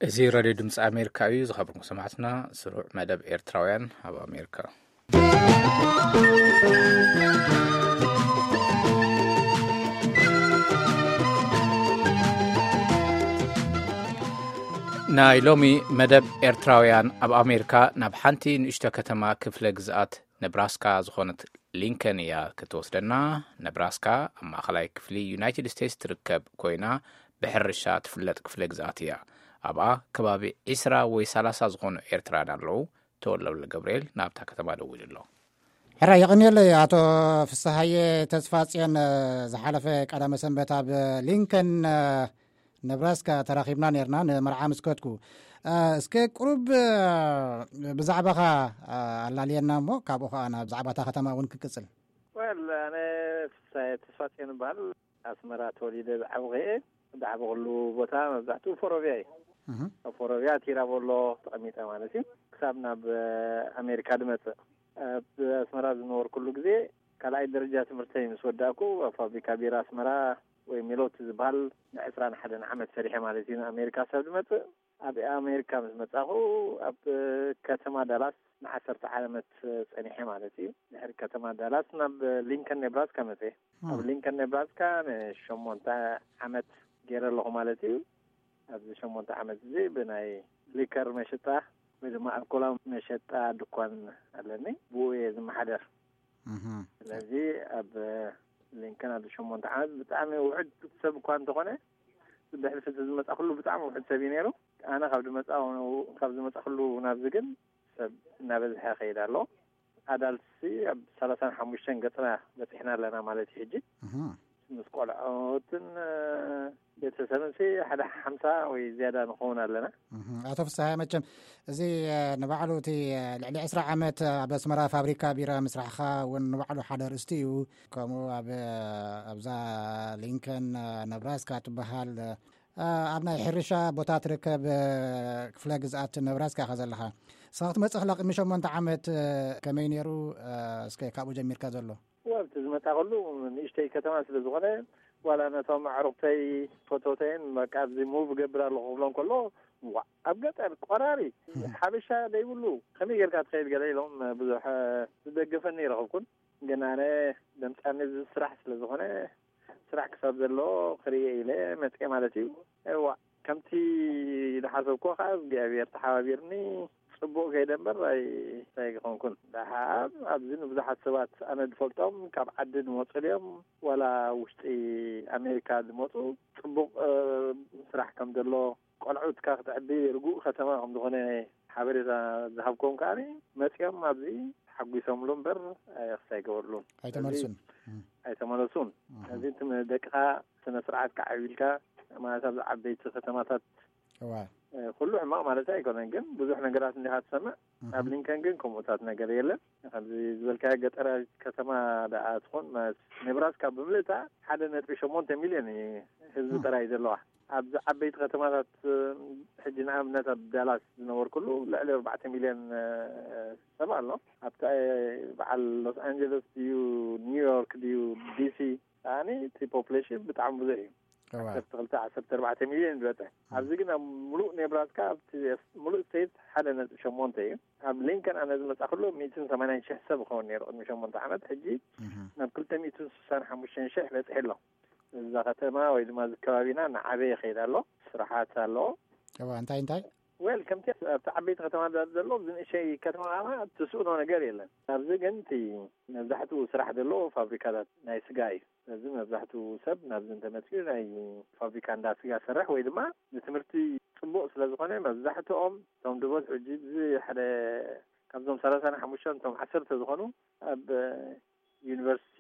እዚ ራድዮ ድምፂ ኣሜሪካ እዩ። ዝኸበርኩም ሰማዕትና፣ ስሩዕ መደብ ኤርትራውያን ኣብ ኣሜሪካ። ናይ ሎሚ መደብ ኤርትራውያን ኣብ ኣሜሪካ ናብ ሓንቲ ንእሽቶ ከተማ ክፍለ ግዝኣት ነብራስካ ዝኾነት ሊንከን እያ ክትወስደና። ነብራስካ ኣብ ማእኸላይ ክፍሊ ዩናይትድ ስቴትስ ትርከብ ኮይና፣ ብሕርሻ ትፍለጥ ክፍለ ግዝኣት እያ። ኣብኣ ከባቢ ዒስራ ወይ ሰላሳ ዝኾኑ ኤርትራውያን ኣለዉ። ተወልደ ገብርኤል ናብታ ከተማ ደዊሉ ኣሎ። ሕራይ የቐንየለይ ኣቶ ፍስሃየ ተስፋጽዮን። ዝሓለፈ ቀዳመ ሰንበት ኣብ ሊንከን ነብራስካ ተራኺብና ነርና፣ ንመርዓ ምስ ከድኩ። እስከ ቁሩብ ብዛዕባኻ ኣላልየና እሞ፣ ካብኡ ኸዓ ናብ ዛዕባታ ከተማ እውን ክቅጽል። ወል ኣነ ፍሳየ ተስፋጽዮን እበሃል። ኣስመራ ተወሊደ ዝዓብኹ እየ። ዝዓበኹሉ ቦታ መብዛሕትኡ ፎሮብያ እዩ። ኣብ ፎሮብያ ቲራቦሎ ተቐሚጠ ማለት እዩ። ክሳብ ናብ ኣሜሪካ ድመጽእ። ኣብ ኣስመራ ዝነበርኩሉ ግዜ ካልኣይ ደረጃ ትምህርተይ ምስ ወዳእኩ፣ ኣብ ፋብሪካ ቢራ ኣስመራ ወይ ሜሎት ዝበሃል ንዕስራን ሓደን ዓመት ሰሪሐ ማለት እዩ። ንኣሜሪካ ሰብ ድመጽእ። ኣብ ኣሜሪካ ምስ መጻኹ፣ ኣብ ከተማ ዳላስ ንዓሰርተ ዓመት ጸኒሐ ማለት እዩ። ድሕሪ ከተማ ዳላስ ናብ ሊንከን ኔብራስካ መጽየ። ኣብ ሊንከን ኔብራስካ ንሸሞንተ ዓመት ገይረ ኣለኹ ማለት እዩ። ኣብዚ ሸሞንተ ዓመት እዚ ብናይ ሊከር መሸጣ ወይ ድማ ኣልኮላዊ መሸጣ ድኳን ኣለኒ። ብኡ እየ ዝመሓደር። ስለዚ ኣብ ሊንከን ኣብዚ ሸሞንተ ዓመት ብጣዕሚ ውሑድ ሰብ እኳ እንተኾነ፣ ብሕልፊ ዝመጻኹሉ ብጣዕሚ ውሑድ ሰብ እዩ ነይሩ። ኣነ ካብ ዝመጻ-፣ ካብ ዝመጻኹሉ ናብዚ ግን ሰብ እናበዝሐ ከይድ ኣሎ። ኣዳልትሲ ኣብ ሰላሳን ሓሙሽተን ገጽና በጺሕና ኣለና ማለት እዩ። ሕጂ ምስ ቆልዖትን ቤተሰብንሲ ሓደ ሓምሳ ወይ ዝያዳ ንኸውን ኣለና። ኣቶ ፍስሃ፣ መቸም እዚ ንባዕሉ እቲ ልዕሊ ዕስራ ዓመት ኣብ ኣስመራ ፋብሪካ ቢራ ምስራሕኻ እውን ንባዕሉ ሓደ ኣርእስቲ እዩ። ከምኡ ኣብ፣ ኣብዛ ሊንከን ነብራስካ ትበሃል፣ ኣብ ናይ ሕርሻ ቦታ ትርከብ ክፍለ ግዝኣት ነብራስካ ኢኻ ዘለኻ። ንስኻ ክትመጽእ ከላ ቅድሚ ሸሞንተ ዓመት ከመይ ነይሩ? እስከ ካብኡ ጀሚርካ ዘሎ። ወብቲ ዝመጣ ከሉ ንእሽተይ ከተማ ስለ ዝኾነ፣ ዋላ ነቶም ኣዕሩኽተይ ፈተውተይን በቃ ኣብዚ ሙቭ እገብር ኣለኹ ክብሎም ከሎ፣ "ዋእ፣ ኣብ ገጠር ቆራሪ ሓበሻ ዘይብሉ ከመይ ጌርካ ትኸይድ?" ገለ ኢሎም ብዙሕ ዝደገፈኒ ይረኸብኩን። ግን ኣነ ደምጻኒ እዚ ስራሕ ስለ ዝኾነ፣ ስራሕ ክሳብ ዘሎ ክርእየ ኢለ መጽየ ማለት እዩ። እዋ፣ ከምቲ ዝሓሰብኩዎ ከኣ እግዚኣብሔር ተሓባቢርኒ ጽቡቕ ከይደ እምበር ኣይ-፣ ኣይኮንኩን። ደሓር ኣብዚ ንብዙሓት ሰባት ኣነ ዝፈልጦም ካብ ዓዲ ዝመጹ ድዮም ዋላ ውሽጢ ኣሜሪካ ዝመጹ ጽቡቕ፣ እ፣ ስራሕ ከም ዘሎ ቆልዑትካ ክተዕቢ ርጉእ ከተማ ከም ዝኾነ ሓበሬታ ዝሃብኮም ከኣ መጺኦም ኣብዚ ተሓጒሶምሉ እምበር ኣየኽስ ኣይገበርሉን። ኣይተመልሱን። ስለዚ እም። ኣይተመለሱን። እም። ስለዚ እቲ ደቅኻ ስነ ስርዓት ከዓብልካ ማለት ኣብዚ ዓበይቲ ከተማታት እዋ። እ፣ ኩሉ ሕማቕ ማለት ኣይኮነን፣ ግን ብዙሕ ነገራት እንዲኻ ትሰምዕ። እም። ኣብ ሊንከን ግን ከምኡታት ነገር የለን። ከምዚ ዝበልካዮ ገጠራዊት ከተማ ደኣ ትኾን፣ ማለት ኔብራስካ ብምልእታ ሓደ ነጥቢ ሸሞንተ ሚልዮን እዩ ህዝቢ እም። ጥራይ ዘለዋ። ኣብዚ ዓበይቲ ከተማታት፣ እ፣ ሕጂ ንኣብነት ኣብ ዳላስ ዝነበርኩሉ ልዕሊ ኣርባዕተ ሚልዮን፣ እ፣ ሰብ ኣሎ። ኣብታ፣ እ፣ በዓል ሎስ ኣንጀለስ ድዩ፣ ኒውዮርክ ድዩ፣ ዲሲ፣ ኣኒ እቲ ፖፕሌሽን ብጣዕሚ ብዙሕ እዩ። እዋ። ዓሰርተ ክልተ፣ ዓሰርተ ኣርባዕተ ሚልዮን ዝበጽሕ። እም። ኣብዚ ግን ኣብ ሙሉእ ኔብራስካ፣ ኣብቲ ሙሉእ ስቴት ሓደ ነጥቢ ሸሞንተ እዩ። ኣብ ሊንከን ኣነ ዝመጻእኩሉ ሚእትን ሰማንያን ሽሕ ሰብ ይኸውን ነይሩ ቅድሚ ሸሞንተ ዓመት። ሕጂ እም። ናብ ክልተ ሚእትን ስሳን ሓሙሽተን ሽሕ በጺሑ ኣሎ። እዛ ከተማ ወይ ድማ እዚ ከባቢና እናዓበየ ይኸይድ ኣሎ። ስራሓት ኣሎ። እዋ፣ እንታይ እንታይ? ዌል፣ ከምቲ ኣብቲ ዓበይቲ ከተማታት ዘሎ፣ ኣብዚ ንእሸይ ከተማ ከኣ ትስእኖ ነገር የለን። ኣብዚ ግን እቲ መብዛሕትኡ ስራሕ ዘሎ ፋብሪካታት ናይ ስጋ እዩ። ስለዚ መብዛሕትኡ ሰብ ናብዚ እንተመጺኡ ናይ ፋብሪካ እንዳ ስጋ ሰርሕ ወይ ድማ ንትምህርቲ ጽቡቕ ስለ ዝኾነ መብዛሕትኦም እቶም ዝበዝሑ ሕጂ እዚ ሓደ ካብዞም ሰላሳን ሓሙሽተን እቶም ዓሰርተ ዝኾኑ ኣብ ዩኒቨርሲቲ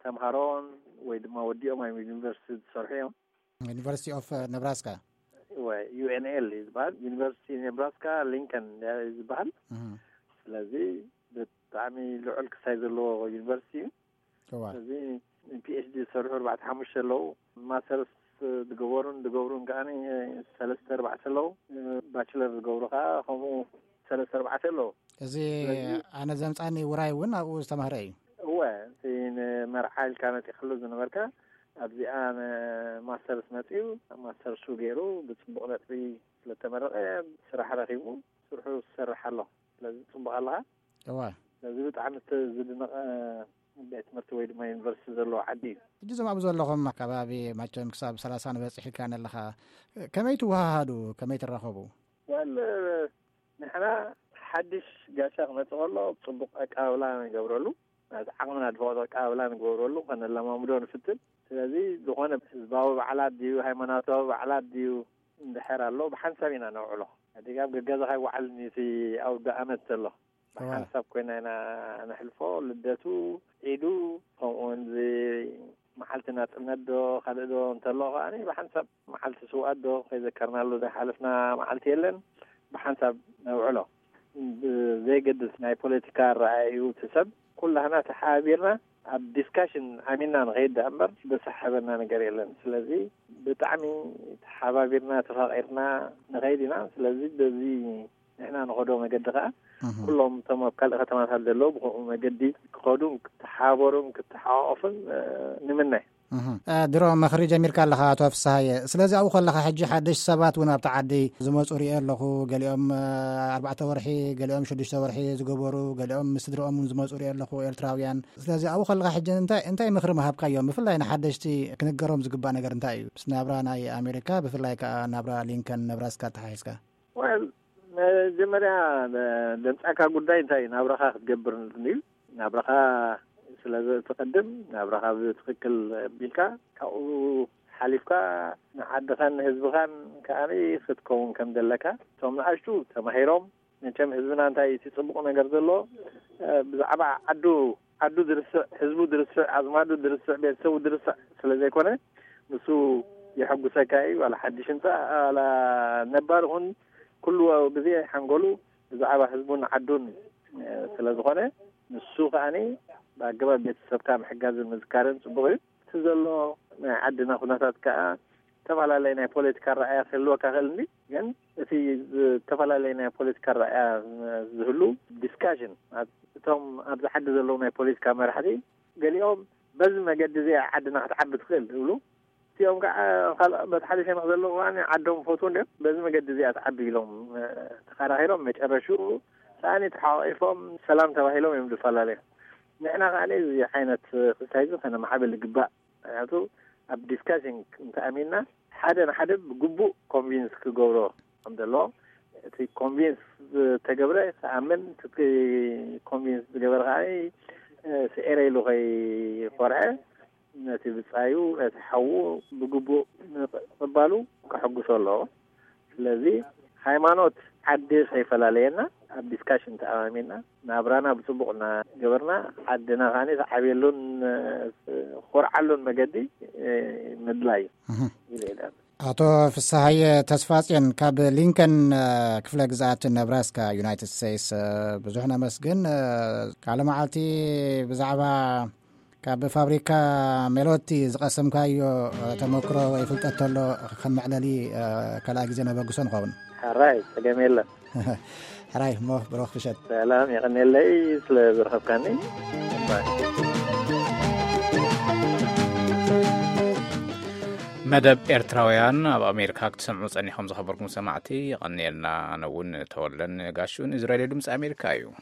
ተምሃሮን ወይ ድማ ወዲኦም ኣብ ዩኒቨርሲቲ ዝሰርሑ እዮም። ዩኒቨርሲቲ ኦፍ ነብራስካ። ወይ ዩ ኤን ኤል እዩ ዝበሃል። ዩኒቨርሲቲ ኔብራስካ ሊንከን እዩ ዝበሃል። እህ። ስለዚ ብጣዕሚ ልዑል ክሳይ ዘለዎ ዩኒቨርሲቲ እዩ። እዋ። ስለዚ ፒ ኤች ዲ ዝሰርሑ ኣርባዕተ ሓሙሽተ ኣለዉ። ማስተርስ ዝገበሩን ዝገብሩን ከኣ ሰለስተ ኣርባዕተ ኣለዉ። ባችለር ዝገብሩ ከኣ ከምኡ ሰለስተ ኣርባዕተ ኣለዉ። እዚ ስለዚ ኣነ ዘምጻኒ ውራይ እውን ኣብኡ ዝተማህረ እዩ። እወ፣ እቲ ንመርዓ ኢልካ መጺእካሉ ዝነበርካ ኣብዚኣ ንማስተርስ መፅኡ፣ ኣብ ማስተርሱ ገይሩ ብፅቡቕ ነጥቢ ስለተመረቐ ስራሕ ረኺቡ ስርሑ ዝሰርሕ ኣሎ። ስለዚ ፅቡቕ ኣለኻ። እዋ ስለዚ ብጣዕሚ እቲ ዝድነቐ ቤት ትምህርቲ ወይ ድማ ዩኒቨርሲቲ ዘለዎ ዓዲ እዩ። ሕጂ እዞም ኣብ ዘለኹም ከባቢ ማቸም ክሳብ ሰላሳ ንበፅሕ ኢልካ ኣለኻ። ከመይ ትወሃሃዱ? ከመይ ትራኸቡ? ወል ንሕና ሓድሽ ጋሻ ክመፅእ ከሎ ፅቡቅ ኣቀባብላ ንገብረሉ፣ ናቲ ዓቕምና ድፈቅዶ ኣቀባብላ ንገብረሉ፣ ከነለማምዶ ንፍትን። ስለዚ ዝኾነ ህዝባዊ በዓላት ድዩ ሃይማኖታዊ በዓላት ድዩ እንድሕር ኣሎ ብሓንሳብ ኢና ነውዕሎ። ኣዲጋብ ገገዛኻ ይወዓል ኒቲ ኣውደ ኣመት ዘሎ ብሓንሳብ ኮይና ኢና ነሕልፎ። ልደቱ፣ ዒዱ፣ ከምኡ እውን እዚ መዓልቲ ናፅነት ዶ ካልእ ዶ እንተሎ ከኣ ብሓንሳብ መዓልቲ ስውኣት ዶ ከይዘከርናሉ ዘይሓለፍና መዓልቲ የለን። ብሓንሳብ ነውዕሎ። ብዘይገድስ ናይ ፖለቲካ ኣረኣእዩ እቲ ሰብ ኩላህና ተሓባቢርና ኣብ ዲስካሽን ኣሚና ንኸይድ ደኣ እምበር ዘሰሓበና ነገር የለን። ስለዚ ብጣዕሚ ተሓባቢርና ተፋቒርና ንኸይድ ኢና። ስለዚ በዚ ንሕና ንኸዶ መገዲ ከዓ ኩሎም እቶም ኣብ ካልእ ከተማታት ዘለዉ ብከምኡ መገዲ ክኸዱን ክተሓባበሩን ክተሓቋቆፉን ንምነ። ድሮ መኽሪ ጀሚርካ ኣለኻ ኣቶ ፍስሃየ። ስለዚ ኣብኡ ከለኻ ሕጂ ሓደሽ ሰባት እውን ኣብቲ ዓዲ ዝመፁ ሪኦ ኣለኹ። ገሊኦም ኣርባዕተ ወርሒ፣ ገሊኦም ሽዱሽተ ወርሒ ዝገበሩ፣ ገሊኦም ምስ ስድርኦም እውን ዝመፁ ሪኦ ኣለኹ ኤርትራውያን። ስለዚ ኣብኡ ከለኻ ሕጂ እንታይ እንታይ ምኽሪ ምሃብካዮም፣ ብፍላይ ንሓደሽቲ ክንገሮም ዝግባእ ነገር እንታይ እዩ? ምስ ናብራ ናይ ኣሜሪካ፣ ብፍላይ ከዓ ናብራ ሊንከን ነብራስካ ተሓሒዝካ። ወል መጀመርያ ደምፃካ ጉዳይ እንታይ እዩ? ናብራኻ ክትገብር እዩ። ናብራኻ ስለ ዘትቀድም ናብራኻ ብትክክል ቢልካ ካብኡ ሓሊፍካ ንዓድኻን ንህዝብኻን ከኣ ክትከውን ከም ዘለካ እቶም ንኣሽቱ ተማሂሮም። መቸም ህዝብና እንታይ እቲ ፅቡቅ ነገር ዘሎ ብዛዕባ ዓዱ ዓዱ ድርስዕ፣ ህዝቡ ድርስዕ፣ ኣዝማዱ ድርስዕ፣ ቤተሰቡ ድርስዕ ስለ ዘይኮነ ንሱ የሐጉሰካ እዩ። ዋላ ሓድሽ ህንፃ ዋላ ነባር ኹን ኩሉ ግዜ ሓንጎሉ ብዛዕባ ህዝቡን ዓዱን ስለ ዝኾነ ንሱ ከኣኒ ብኣገባብ ቤተሰብካ ምሕጋዝን ምዝካርን ፅቡቅ እዩ። እቲ ዘሎ ናይ ዓድና ኩነታት ከዓ ዝተፈላለየ ናይ ፖለቲካ ረኣያ ክህልወካ ክእል እንዲ ግን እቲ ዝተፈላለየ ናይ ፖለቲካ ረኣያ ዝህሉ ዲስካሽን እቶም ኣብዚ ዓዲ ዘለዉ ናይ ፖለቲካ መራሕቲ ገሊኦም በዚ መገዲ እዚኣ ዓድና ክትዓቢ ትኽእል ዝብሉ እቲኦም ከዓ ካልእ በቲ ሓደ ሸነኽ ዘለዉ ከኣ ዓዶም ፈትዉ እንዲኦም በዚ መገዲ እዚኣ ትዓቢ ኢሎም ተኸራኺሮም መጨረሽኡ ከኣ ተሓቋቂፎም ሰላም ተባሂሎም እዮም ዝፈላለዩ። ንሕና ከኣ እዚ ዓይነት ክስታይ እዚ ከነማዕብል ይግባእ። ምክንያቱ ኣብ ዲስካሽን እንተኣሚንና ሓደ ንሓደ ብግቡእ ኮንቪንስ ክገብሮ ከም ዘለዎ እቲ ኮንቪንስ ዝተገብረ ክኣምን እቲ ኮንቪንስ ዝገበረ ከዓ ስዒረ ኢሉ ከይኮርዐ ነቲ ብፃዩ ነቲ ሓዉ ብግቡእ ምቕባሉ ከሐጉሶ ኣለዎ። ስለዚ ሃይማኖት ዓዲ ከይፈላለየና ኣብ ዲስካሽን ተኣማሚና ናብራና ብፅቡቅ እናገበርና ዓድና ከዓኒ ተዓብየሉን ኮርዓሉን መገዲ ምድላይ እዩ ኢለ እየ። ኣቶ ፍስሃየ ተስፋፅዮን ካብ ሊንከን ክፍለ ግዝኣት ነብራስካ ዩናይትድ ስቴትስ ብዙሕ ነመስግን። ካልእ መዓልቲ ብዛዕባ ካብ ፋብሪካ ሜሎቲ ዝቐሰምካዮ ተመክሮ ወይ ፍልጠት ተሎ ከም መዕለሊ ካልኣይ ግዜ ነበግሶ ንኸውን። ሕራይ ጸገም የለን። ሕራይ እሞ ብሩኽ ምሸት። ሰላም የቐንየለይ ስለ ዝረኸብካኒ። መደብ ኤርትራውያን ኣብ ኣሜሪካ ክትሰምዑ ጸኒሖም ዝኸበርኩም ሰማዕቲ የቐንየልና። ኣነ እውን ተወለን ጋሹን እዚ ሬድዮ ድምፂ ኣሜሪካ እዩ።